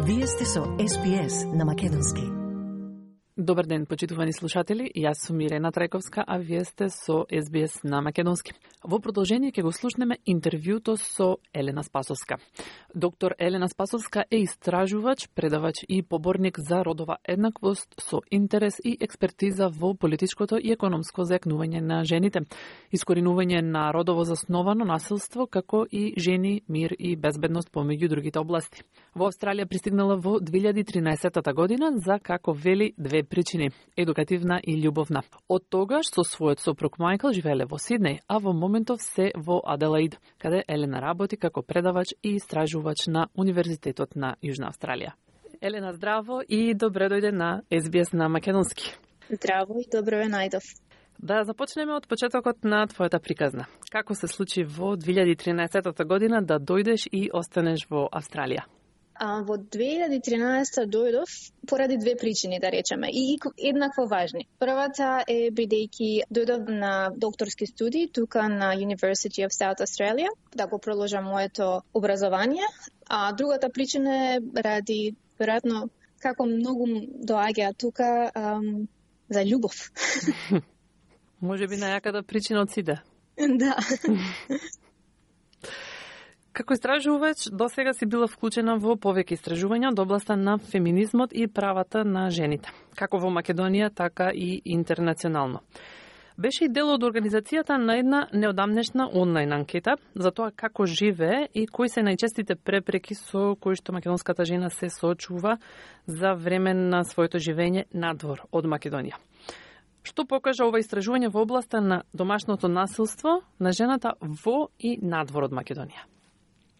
Вие сте со СПС на Македонски. Добар ден, почитувани слушатели. Јас сум Ирена Трајковска, а вие сте со СБС на Македонски. Во продолжение ќе го слушнеме интервјуто со Елена Спасовска. Доктор Елена Спасовска е истражувач, предавач и поборник за родова еднаквост со интерес и експертиза во политичкото и економско зајакнување на жените, искоренување на родово засновано насилство, како и жени, мир и безбедност помеѓу другите области. Во Австралија пристигнала во 2013 година за, како вели, две причини – едукативна и љубовна. Од тогаш со својот сопруг Мајкл живееле во Сиднеј, а во моментов се во Аделаид, каде Елена работи како предавач и истражувач на Универзитетот на Јужна Австралија. Елена, здраво и добре дојде на СБС на Македонски. Здраво и добро ве најдов. Да започнеме од почетокот на твојата приказна. Како се случи во 2013 година да дојдеш и останеш во Австралија? Во 2013 дојдов поради две причини, да речеме, и еднакво важни. Првата е бидејќи дојдов на докторски студии тука на University of South Australia, да го продолжам моето образование, а другата причина е ради, веројатно, како многу доаѓа тука за љубов. Може би најаката причина од сите. Да. Како истражувач, досега си била вклучена во повеќе истражувања од областа на феминизмот и правата на жените, како во Македонија, така и интернационално. Беше и дел од организацијата на една неодамнешна онлайн анкета за тоа како живее и кои се најчестите препреки со кои што македонската жена се соочува за време на своето живење надвор од Македонија. Што покажа ова истражување во областа на домашното насилство на жената во и надвор од Македонија?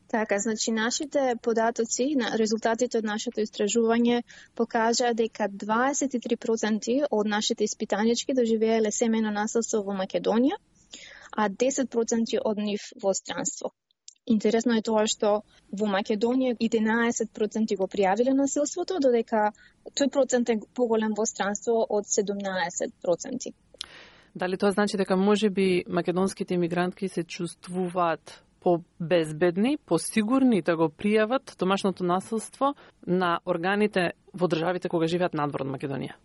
Така, значи нашите податоци, резултатите од нашето истражување покажа дека 23% од нашите испитанички доживееле семејно насилство во Македонија, а 10% од нив во странство. Интересно е тоа што во Македонија 11% го пријавиле насилството, додека тој процент е поголем во странство од 17%. Дали тоа значи дека можеби македонските имигрантки се чувствуваат по-безбедни, по-сигурни да го пријават домашното насилство на органите во државите кога живеат надвор од Македонија?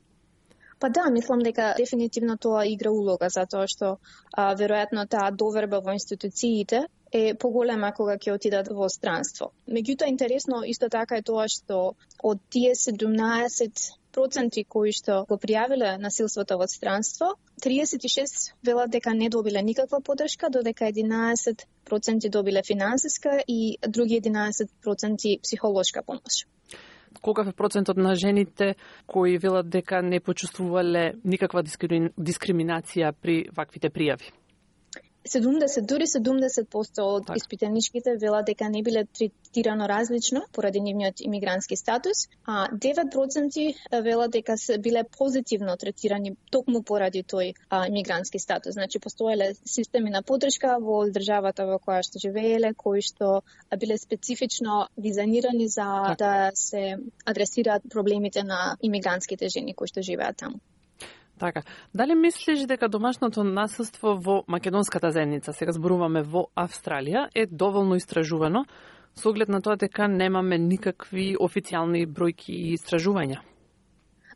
Па да, мислам дека дефинитивно тоа игра улога, затоа што веројатно таа доверба во институциите е поголема кога ќе отидат во странство. Меѓутоа, интересно исто така е тоа што од тие 17% кои што го пријавиле насилството во странство, 36 велат дека не добиле никаква поддршка, додека 11% добиле финансиска и други 11% психолошка помош. Колкав е процентот на жените кои велат дека не почувствувале никаква дискриминација при ваквите пријави? 70% од испитаничките велат дека не биле третирано различно поради нивниот имигрантски статус, а 9% велат дека се биле позитивно третирани токму поради тој имигрантски статус. Значи, постоеле системи на поддршка во државата во која што живееле, кои што биле специфично дизајнирани за да се адресираат проблемите на имигрантските жени кои што живеат таму. Така, дали мислиш дека домашното насилство во македонската заедница, сега зборуваме во Австралија, е доволно истражувано, со оглед на тоа дека немаме никакви официјални бројки и истражувања?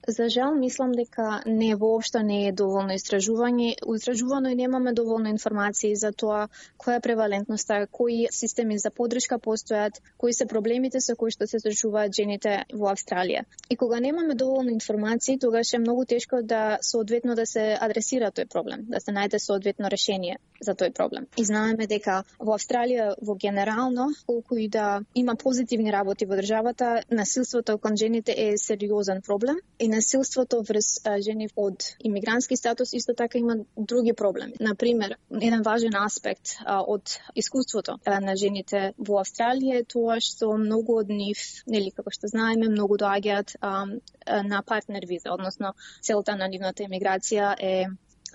За жал, мислам дека воопшто не е доволно истражувано и немаме доволно информации за тоа која е превалентноста, кои системи за поддршка постојат, кои се проблемите со кои што се соочуваат жените во Австралија. И кога немаме доволно информации, тогаш е многу тешко да соодветно да се адресира тој проблем, да се најде соодветно решение за тој проблем. И знаеме дека во Австралија во генерално, колку и да има позитивни работи во државата, насилството кон жените е сериозен проблем и насилството врз жени од имигрантски статус исто така има други проблеми. Например, еден важен аспект од искуството на жените во Австралија е тоа што многу од нив, нели како што знаеме, многу доаѓаат на партнер виза, односно целта на нивната емиграција е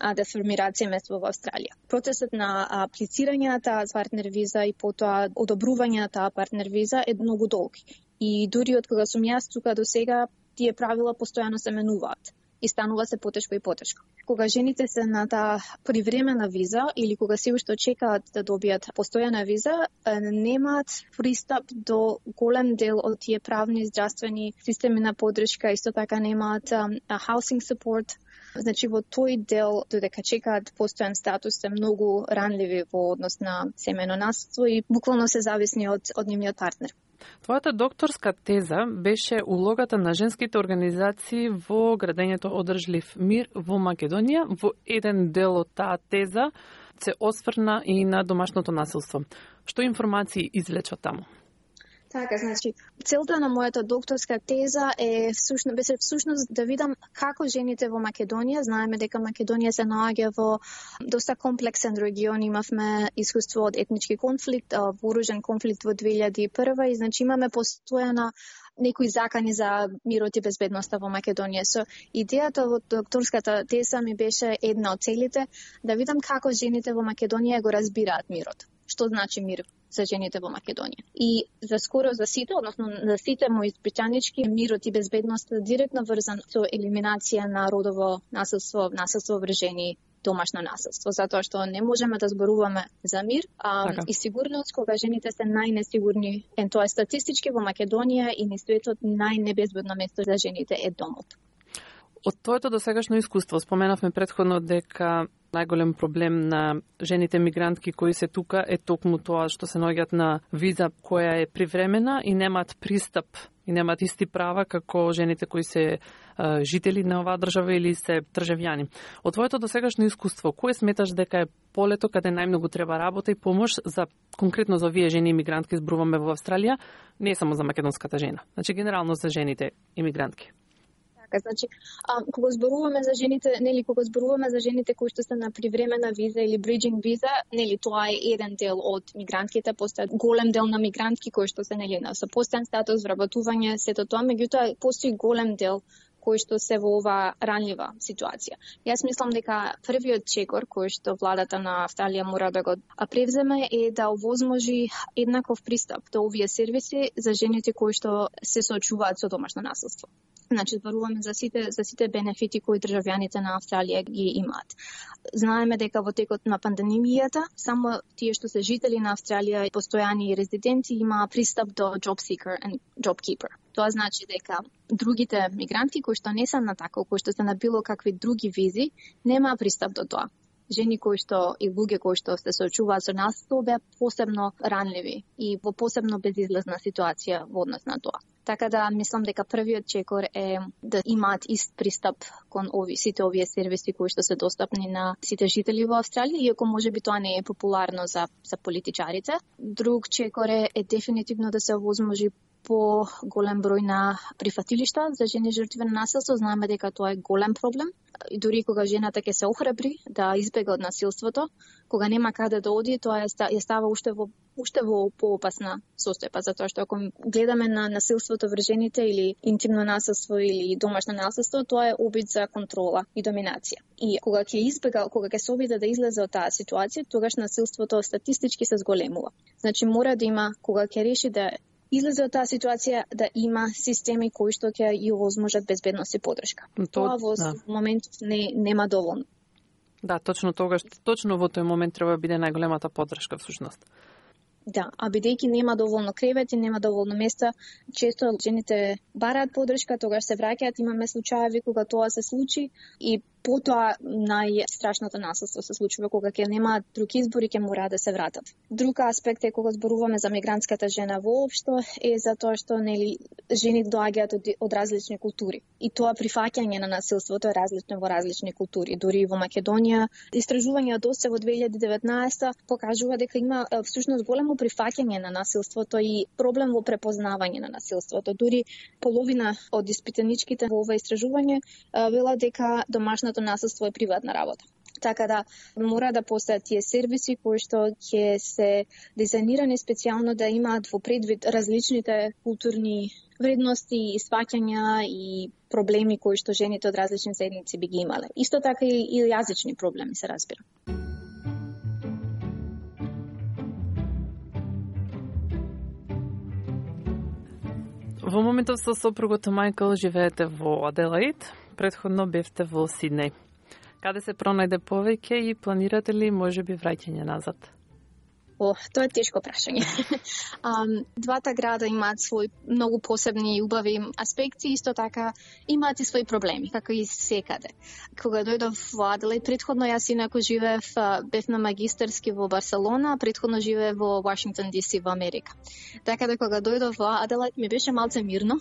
да формираат семејство во Австралија. Процесот на аплицирање на таа партнер виза и потоа одобрување на таа партнер виза е многу долг. И дури од кога сум јас тука до сега, тие правила постојано се менуваат. и станува се потешко и потешко. Кога жените се на таа привремена виза или кога се уште чекаат да добијат постојана виза, немаат пристап до голем дел од тие правни здравствени системи на поддршка, исто така немаат housing support. Значи во тој дел додека чекаат постојан статус се многу ранливи во однос на семејно наследство и буквално се зависни од нивниот партнер. Твојата докторска теза беше улогата на женските организации во градењето одржлив мир во Македонија. Во еден дел од таа теза се осврна и на домашното насилство. Што информации извлеча таму? Така, значи, целта на мојата докторска теза беше всушност да видам како жените во Македонија, знаеме дека Македонија се наоѓа во доста комплексен регион, имавме искуство од етнички конфликт, вооружен конфликт во 2001 и значи имаме постојана некои закани за мирот и безбедноста во Македонија. So, идејата во докторската теза ми беше една од целите, да видам како жените во Македонија го разбираат мирот. Што значи мир за жените во Македонија. И за сите, односно за сите мои испитанички, мирот и безбедноста директно врзан со елиминација на родово насилство, насилство врз жени, домашно насилство, затоа што не можеме да зборуваме за мир и сигурност кога жените се најнесигурни. Тоа е статистички во Македонија и низ светот најнебезбедно место за жените е домот. Од твоето досегашно искуство споменавме претходно дека најголем проблем на жените мигрантки кои се тука е токму тоа што се наоѓаат на виза која е привремена и немаат пристап и немаат исти права како жените кои се жители на оваа држава или се државјани. Од твоето досегашно искуство, кој сметаш дека е полето каде најмногу треба работа и помош за конкретно за овие жени имигрантки зборуваме во Австралија, не само за македонската жена, значи генерално за жените имигрантки? Значи, кога зборуваме за жените, кога зборуваме за жените кои што се на привремена виза или bridging виза, тоа е еден дел од мигрантките, постои голем дел на мигрантки кои што се на со постојан статус, вработување, сето тоа, меѓутоа постои голем дел кои што се во оваа ранлива ситуација. Јас мислам дека првиот чекор кој што владата на Австралија мора да го превземе е да овозможи еднаков пристап до овие сервиси за жените кои што се соочуваат со домашно насилство. Значи, зборуваме за сите бенефити кои државјаните на Австралија ги имаат. Знаеме дека во текот на пандемијата, само тие што се жители на Австралија, постојани резиденти, има пристап до job seeker and job keeper. Тоа значи дека другите мигранти кои што не се на таков, кои што се на било какви други визи, нема пристап до тоа. Жени кои што и луѓе кои што се соочуваат со насилство беа посебно ранливи и во посебно безизлезна ситуација во однос на тоа. Така да мислам дека првиот чекор е да имаат ист пристап кон сите овие сервиси кои што се достапни на сите жители во Австралија, иако можеби тоа не е популарно за политичарите. Друг чекор е дефинитивно да се овозможи по голем број на прифатилишта за жени жртви на насилство. Знаеме дека тоа е голем проблем. И дури кога жената ќе се охрабри да избега од насилството, кога нема каде да оди, тоа ја става уште во поопасна состојба, затоа што ако гледаме на насилството врз жените или интимно насилство или домашно насилство, тоа е обид за контрола и доминација. И кога ќе се обиде да излезе од таа ситуација, тогаш насилството статистички се зголемува. Значи мора да има, кога ќе реши да излезе од таа ситуација, да има системи кои што ќе ја овозможат безбедност и поддршка. Тоа во моментот нема доволно. Да, точно во тој момент треба да биде најголемата поддршка всушност. Да, а бидејќи нема доволно кревети, нема доволно места, често жените бараат поддршка, тогаш се враќаат, имаме случаи кога тоа се случи и потоа најстрашното насилство се случува кога ќе немаат друг избор и ќе мора да се вратат. Друг аспект е кога зборуваме за мигрантската жена воопшто е затоа што жени доаѓаат од различни култури. И тоа прифаќање на насилството е различно во различни култури. Дури во Македонија истражување од ОССЕ во 2019 покажува дека има всушност големо прифаќање на насилството и проблем во препознавање на насилството. Дури половина од испитаничките во ова истражување велат дека домашното насилство е приватна работа. Така да мора да постојат тие сервиси кои што ќе се дизајнирани специјално да имаат во предвид различните културни вредности и сваќања и проблеми кои што жените од различни заедници би ги имале. Исто така и јазични проблеми се разбира. Во моментов со сопругот Мајкл живеете во Аделаид. Претходно бевте во Сиднеј. Каде се пронајде повеќе и планирате ли можеби враќање назад? Тоа е тешко прашање. Двата града имаат своји многу посебни и убави аспекти, исто така имаат и своји проблеми, како и секаде. Кога дојдов во Аделаид, претходно јас инаку бев на магистарски во Барселона, претходно живеев во Вашингтон DC во Америка. Така да кога дојдов во Аделаид ми беше малце мирно.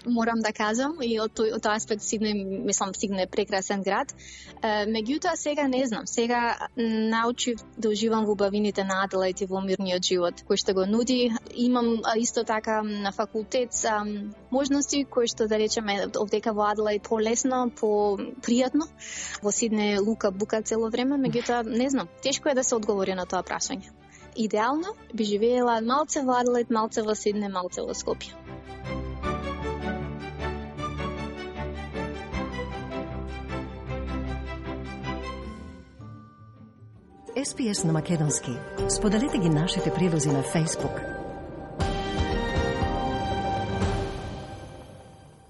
Морам да кажам, и од тој аспект Сиднеј е прекрасен град. Меѓутоа сега не знам, сега научив да уживам во убавините на Аделаид и во мирниот живот кој што го нуди. Имам исто така на факултет можности кои што да речеме овдека во Аделаид полесно, попријатно. Во Сиднеј лука бука цело време, меѓутоа не знам, тешко е да се одговори на тоа прашање. Идеално би живеела малце во Аделаид, малце во Сиднеј, малце во Скопје. SPS на македонски. Споделете ги нашите прилози на Facebook,